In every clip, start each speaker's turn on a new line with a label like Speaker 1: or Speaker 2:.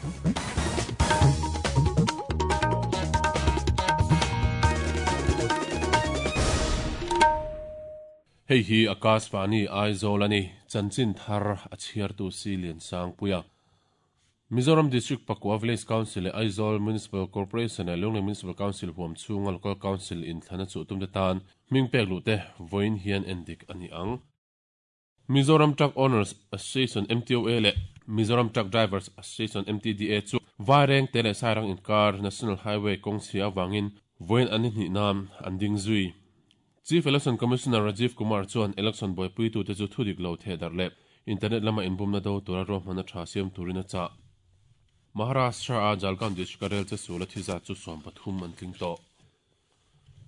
Speaker 1: Hei hi Akashvani Aizawl a ni, chanchin thar a chhiartu si Liansangpuia. Mizoram District Pakua Village Council leh Aizawl Municipal Corporation leh Lunglei Municipal Council huam chhunga Local Council inthlana chuh tumte tan hming pek luh te vawiin hian endik a ni ang. Mizoram Truck Owners Association, MTOA, leh Mizoram Truck Drivers Association, MTDA, chu Vairengte leh Sairang inkar National Highway kawng chhia avangin vawiin an ni hnih nan an ding zui. Chief Election Commissioner Rajiv Kumar chuan election buaipuitute chu thudik lo thehdarh leh internet lama inbumna do tura ruahmanna tha siam turin a chah. Maharashtra-a Jalgaon district-a rel che sul a thi zat chu 13 an tling tawh.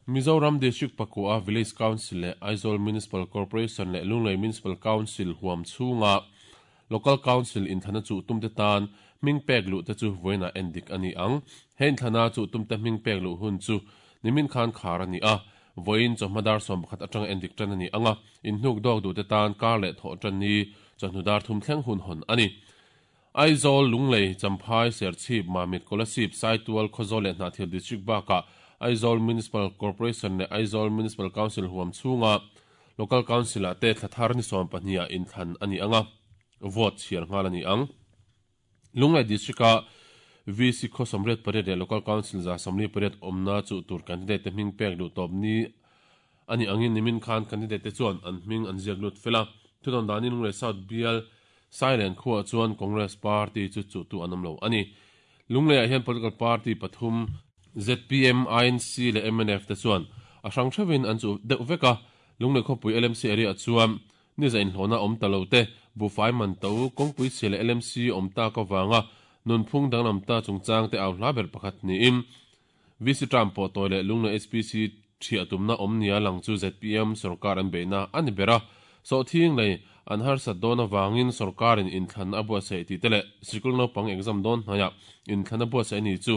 Speaker 1: Mizoram District Pakua Village Council leh Aizawl Municipal Corporation leh Lunglei Municipal Council huam chhunga Local Council inthlana chuh tumte tan hming pek luh te chu vawiinah endik a ni ang. He inthlana chuh tumte hming pek luh hun chu nimin khan khar a ni a, vawiin chawhma dar 11 atanga endik tan a ni ang a, inhnuk dawk duhte tan kar leh thawh tan ni chawhnu dar thum thleng hun hawn a ni. Aizawl, Lunglei, Champhai, Serchhip, Mamit, Kolasib, Saitual, Khawzawl leh Hnahthial District bakah Aizawl Municipal Corporation leh Aizawl Municipal Council huam chhunga Local Council-ah te thla thar ni 12 ah inthlan a ni ang a, vote chhiar nghal a ni ang. Lunglei District-a VC khaw 88 leh Local Council 148 awmna chuh tur candidate te hming pek luh tawp ni a nih angin nimin khan candidate te chuan an hming an ziak lut fel a. Thudawn danin Lunglei South bial Sailen khuaah chuan Congress party chu chuhtu an awm lo a ni. Lungleiah hian political party pathum zpm, INC leh mnf te chuan a hrang theuhin an chuh deuh vek a. Lunglei khawpui LMC area chuan niza inhlawhna awm ta lo te, buhfai man to, kawngpui chhia leh LMC awm tak avanga nunphung danglam ta chungchang te au hla ber pakhat niin VC term pawh tawi leh Lunglei HPC thiah tumna awm nia lang chu zpm sorkar an beihna a ni ber a. Sawhthing lei an harsat dawn avangin sorkarin inthlan a buatsaih tih te leh sikul naupang exam dawn hnaiah inthlan a buatsaih a ni chu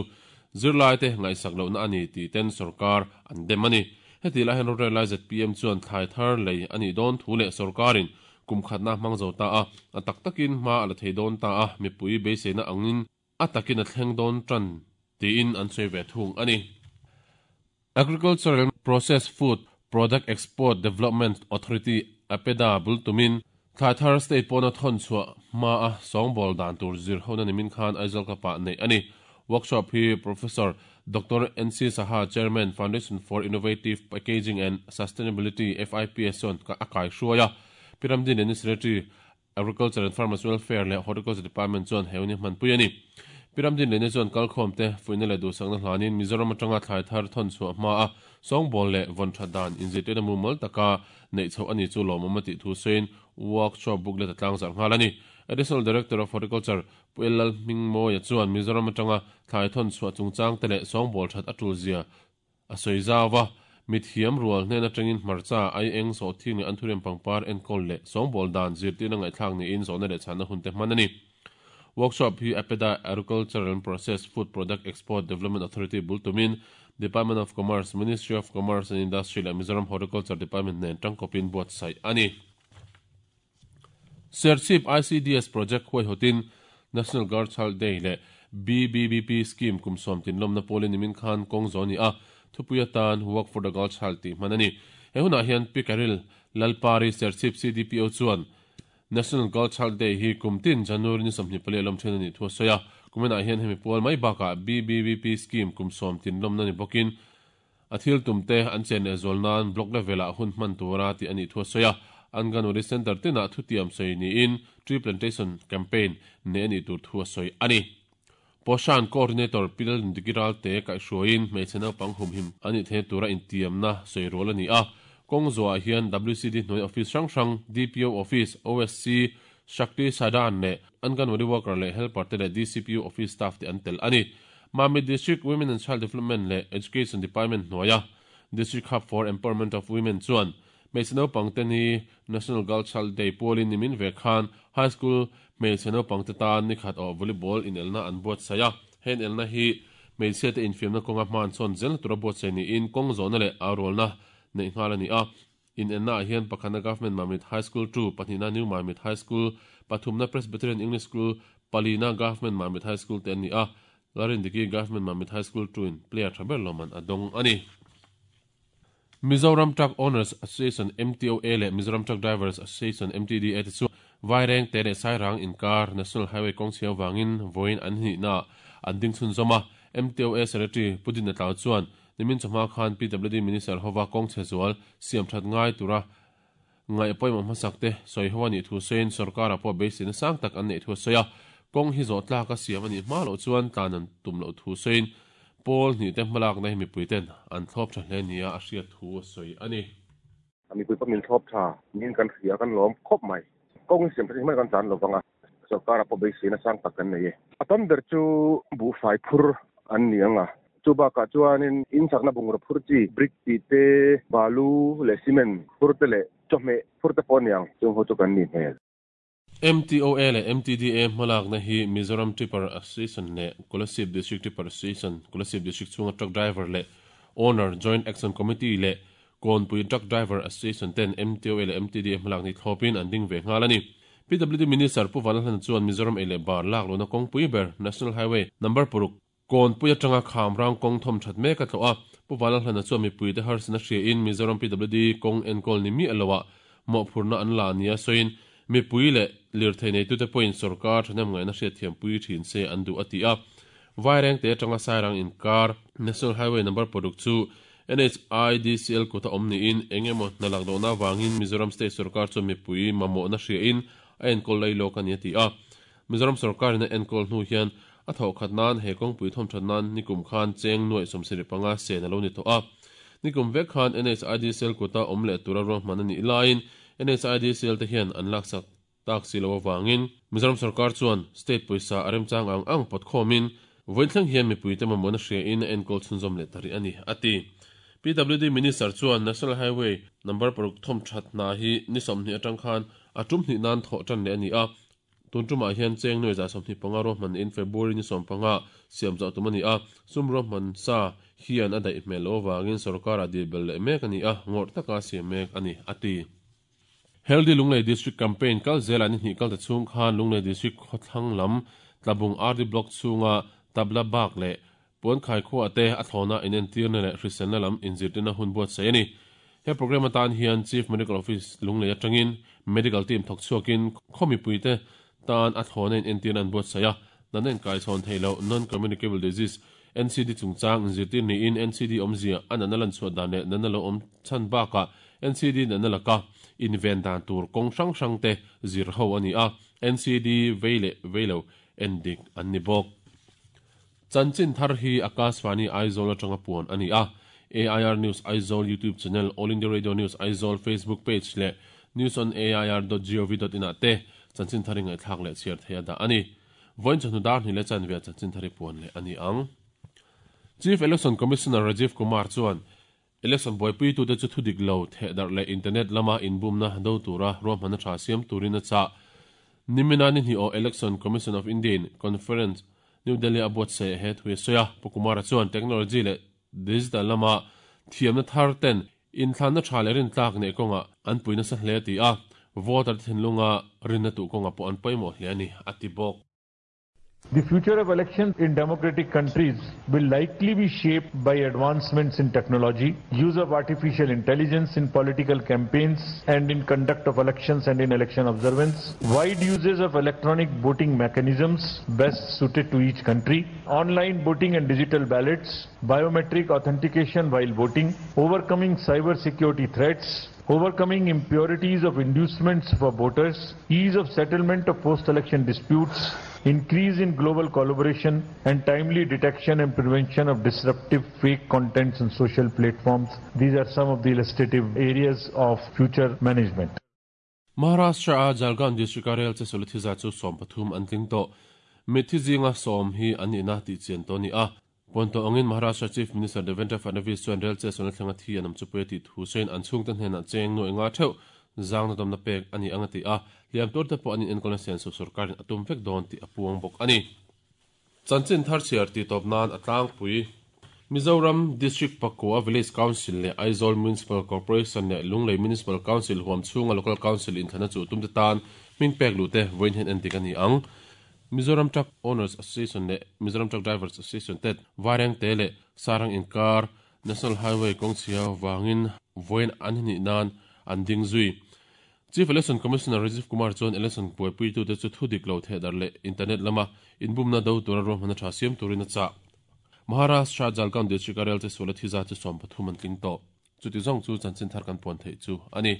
Speaker 1: zirlaite ngaihsak lohna a ni tih ten sorkar an dem a ni. Heti lai hian rorel lai zpm chuan thlai thar lei a nih dawn thu leh sorkarin kum khatna hmang zo ta a, a tak takin hma a la thei dawn ta a, mipui beiseina angin a takin a thleng dawn tan tiin an sawi ve thung a ni. Agricultural Processed Food Product Export Development Authority, APEDA, bul tumin thlai thar state pawna thawn chhuah hma a sawngbawl dan tur zir hona nimin khan Aizawl Club-ah neih a ni. Workshop hi Professor Doctor NC Saha, Chairman, Foundation for Innovative Packaging and Sustainability, FIPS, chuan a kaihruai a. Piramdin leh Secretary Agriculture and Farmers Welfare leh Horticulture Department chuan he hun hi hmanpui a ni. Pi Ramdin Lene chuan kalkhawmte fuihna leh duhsakna hlanin Mizoram atanga thlai thar thawn chhuah hma a sawngbawl leh vawn that dan inzirtirna mumal taka neih chhoh a ni chu lawmawm a tih thu sawiin workshop booklet a tlangzarh nghal a ni. Additional Director of Horticulture Pu Ellal Hmingmawia chuan Mizoram atanga thlai thawn chhuah chungchangte leh sawngbawl that a tulzia A sawi zau a, mithiam rual hnen atangin hmarcha, aieng, sawhthing leh anthuriam pangpar enkawl leh sawngbawl dan zirtirna ngaihthlak niin zawhna leh chhanna hun te hman a ni. Workshop hi APEDA, Agricultural and Processed Food Product Export Development Authority, bul tumin Department of Commerce, Ministry of Commerce and Industry leh Mizoram Horticulture Department nen tangkawpin buatsaih a ni. Serchhip ICDS Project huaihawtin National Girl Child Day leh BBBP Scheme kum sawm tinlawmna pawlin nimin khan kawng zawh a ni a, thupui atan Work for the Girl Child tih hman a ni. He hunah hian Pi Caril Lalpari Serchhip CDPO chuan National Girl Child Day hi kum tin January ni 24 a lawm thin a nih thu a sawi a, kuminah hian hemi pual mai bakah BBBP Scheme kum sawm tinlawmna ni bawkin A thil tumte an chen leh zual nan block level-ah hun hman tura tih a nih thu a sawi a, Anganwadi Centre tinah thutiam sawi niin Tree Plantation Campaign neih a nih tur thu a sawi a ni. Poshan Coordinator Pi Lalnundiki Ralte kaihhruaiin hmeichhe naupang humhim a nih theihna tura intiamna sawi rual a ni a, kawng zawhah hian WCD hnuai office hrang hrang, DPO Office, OSC, Shakti Sadan leh Anganwadi Worker leh Helper te leh DCPU Office staff te an tel a ni. Mamit District Women and Child Development leh Education Department hnuaia District Hub for Empowerment of Women chuan hmeichhe naupangte ni National Girl Child Day pualin nimin ve khan High School hmeichhe naupangte tan nikhat awh volleyball inelna an buatsaih a. He inelna hi hmeichhiate infiamna kawnga hmanchhawn zelna tura buatsaih niin kawng zawhna leh aurualna neih nghal a ni a. Inenna ah hian pakhatna Government Mamit High School 2, pahnihna New Mamit High School, pathumna Presbyterian English School, Palina Government Mamit High School te an ni a, Lalrindiki Government Mamit High School 2 in player tha ber lawmman a dawng a ni. Mizoram Truck Owners Association, MTOA, leh Mizoram Truck Drivers Association, MTDA, te chu Vairengte leh Sairang inkar National Highway kawng chhia avangin vawiin an hnihnaah an ding chhunzawm a. MTOA Secretary Pu Dinna Tlau chuan nimin chawhma khan PWD Minister hova kawng chhe zual siam that ngai tura ngaih pawimawh hmasak te sawi ho a nih thu sawiin sorkarah pawh beiseina sang tak an neih thu a sawi a. Kawng hi zawh tlak a siam a nih hma loh chuan tlan an tum loh thu sawiin pawl hnih te hmalakna hi mipui ten an thlawp tha hle nia a hriat thu a sawi a ni.
Speaker 2: Mipui pawh min thlawp tha niin kan hria kan lawm khawp mai. Kawng hi siam that hi hmai kan tlan lo vang a, sorkarah pawh beiseina sang tak kan nei e. A tam ber chu buhfai phur an ni ang a, chu bakah chuanin in chakna bungraw phur chi brick tih te, balu leh cement phur te leh chawhmeh phur te pawh a ni ang, chung ho chu kan nih hmel.
Speaker 1: MTOA leh MTDA hmalakna hi Mizoram Tipper Association leh Kolasib District Tipper Association, Kolasib District chhunga truck driver leh owner Joint Action Committee leh Kawnpui Truck Driver Association ten MTOA leh MTDA hmalak ni thlawpin an ding ve nghal a ni. PWD Minister Pu Vanlalhlana chuan Mizoram ei leh bar lak lohna kawngpui ber National Highway Number paruk, Kawnpui atanga Khamrang kawng thawm that mek a tlawh a. Pu Vanlalhlana chuan mipuite harsatna hriain Mizoram PWD kawng enkawl ni miah loah mawhphurhna an la nia sawiin mipui leh lirthei neitute pawhin sorkar thahnem ngaihna hriatthiampui thin se an duh a ti a. Vairengte atanga Sairang inkar National Highway Number paruk chu NHIDCL kuta awm niin eng emaw hna lak lohna avangin Mizoram State sorkar chuan mipui mamawhna hriain a enkawl lei lawk a ni a ti a. Mizoram sorkarin a enkawl hnu hian a thawhkhat nan he kawngpui thawmthat nan nikum khan cheng nuaih 75 sen a lo ni tawh a. Nikum vek khan NHIDCL kuta awm leh tura ruahman a nih laiin NHIDCL te hian an laksak tak si lo avangin Mizoram sorkar chuan state pawisa a remchang ang ang pawt khawmin vawiin thleng hian mipuite mamawhna hriain a enkawl chhunzawm leh ta rih a ni, a ti. PWD Minister chuan National Highway number paruk thawm that hna hi ni 20 atang khan a tum hnih nan thawh tan leh a ni a, tun tumah hian cheng nuai za 25 ruahman in February ni 15 siam chauh tum a ni a, sum ruahman sa hian a daih hmel loh avangin sorkarah dil belh leh mek a ni a, ngawrh taka siam mek a ni, a ti. Healthy Lunglei District Campaign kal zelah ni hnih kalta chhung khan Lunglei District khawthlang lam Tlabung RD Block chhunga Tabla Bak leh Puankhai khuaah te a thlawna inentirna leh hriselna lam inzirtirna hun buatsaih a ni. He programme atan hian Chief Medical Office Lunglei atangin Medical Team thawk chhuakin khaw mipuite tan a thlawna inentirna an buatsaih a, natna inkaichhawn theih loh Non-Communicable Disease, NCD, chungchang inzirtir niin NCD awmzia a natna lanchhuah dan leh natna lo awm chhan bakah NCD natna laka inven dan tur kawng hrang hrang te zir ho a ni a, NCD vei leh vei lo endik an ni bawk. Chanchin thar hi Akashvani Aizawl atanga puan a ni a, AIR News Aizawl YouTube channel, All India Radio News Aizawl Facebook page leh newsonair.gov.in ah te chanchin thar i ngaihthlak leh chhiar theih a dah a ni. Vawiin chawhnu dar hnih leh chanve ah chanchin thar i puan leh a ni ang. Chief Election Commissioner Rajiv Kumar chuan Election buaipuitute chu thudik lo thehdarh leh internet lama inbumna do tura ruahmanna tha siam turin a chah. Nimina ni hnih aw Election Commission of India in Conference New Delhi a buatsaih he thu a sawi a. Pu Kumara chuan technology leh digital lama thiamna thar ten inthlanna tha leh rintlak neih kawngah an pui nasa hle a ti a, voter te thinlunga rinna tuh kawngah pawh an pawimawh hle a ni, a ti bawk.
Speaker 3: The future of elections in democratic countries will likely be shaped by advancements in technology, use of artificial intelligence in political campaigns and in conduct of elections and in election observance, wide uses of electronic voting mechanisms best suited to each country, online voting and digital ballots, biometric authentication while voting, overcoming cyber security threats, overcoming impurities of inducements for voters, ease of settlement of post-election disputes, increase in global collaboration and timely detection and prevention of disruptive fake contents on social platforms. These are some of the illustrative areas of future management.
Speaker 1: Maharashtra-a Jalgaon district-a rel che sawlhi za chu 13 an tling tawh. Mitthi zinga sawm hi an nihna tih chian tawh a ni a. Puan tawh angin Maharashtra Chief Minister Devendra Fadnavis chuan rel che sawlna thlenga thi an awm chu pui a tih thu sawiin an chhungte hnenah cheng nuaih nga theuh zangna dawmna pek a ni ang a ti a, hliam turte pawh an inenkawlna sian suh sorkarin a tum vek dawn tih a puang bawk a ni. Chanchin thar chhiar tih tawp nan a tlangpui. Mizoram District Pakua Village Council leh Aizawl Municipal Corporation leh Lunglei Municipal Council huam chhunga Local Council inthlana chuh tumte tan hming pek luhte vawiin hian endik a ni ang. Mizoram Truck Owners Association leh Mizoram Truck Drivers Association ten Vairengte leh Sarang inkar National Highway kawngchhia vangin vawiin an hnih nan an ding zui. Chief Election Commissioner Rajiv Kumar chuan election buaipuitute chu thu dik lo thehdarh leh internet lama inbumna do tura ruahmanna tha siam turin a chah. Maharashtra Jalgaon district a rel che suala thi zat chu 13 an tling tawh. Chuti zawng chu chanchin thar kan puan theih chu a ni.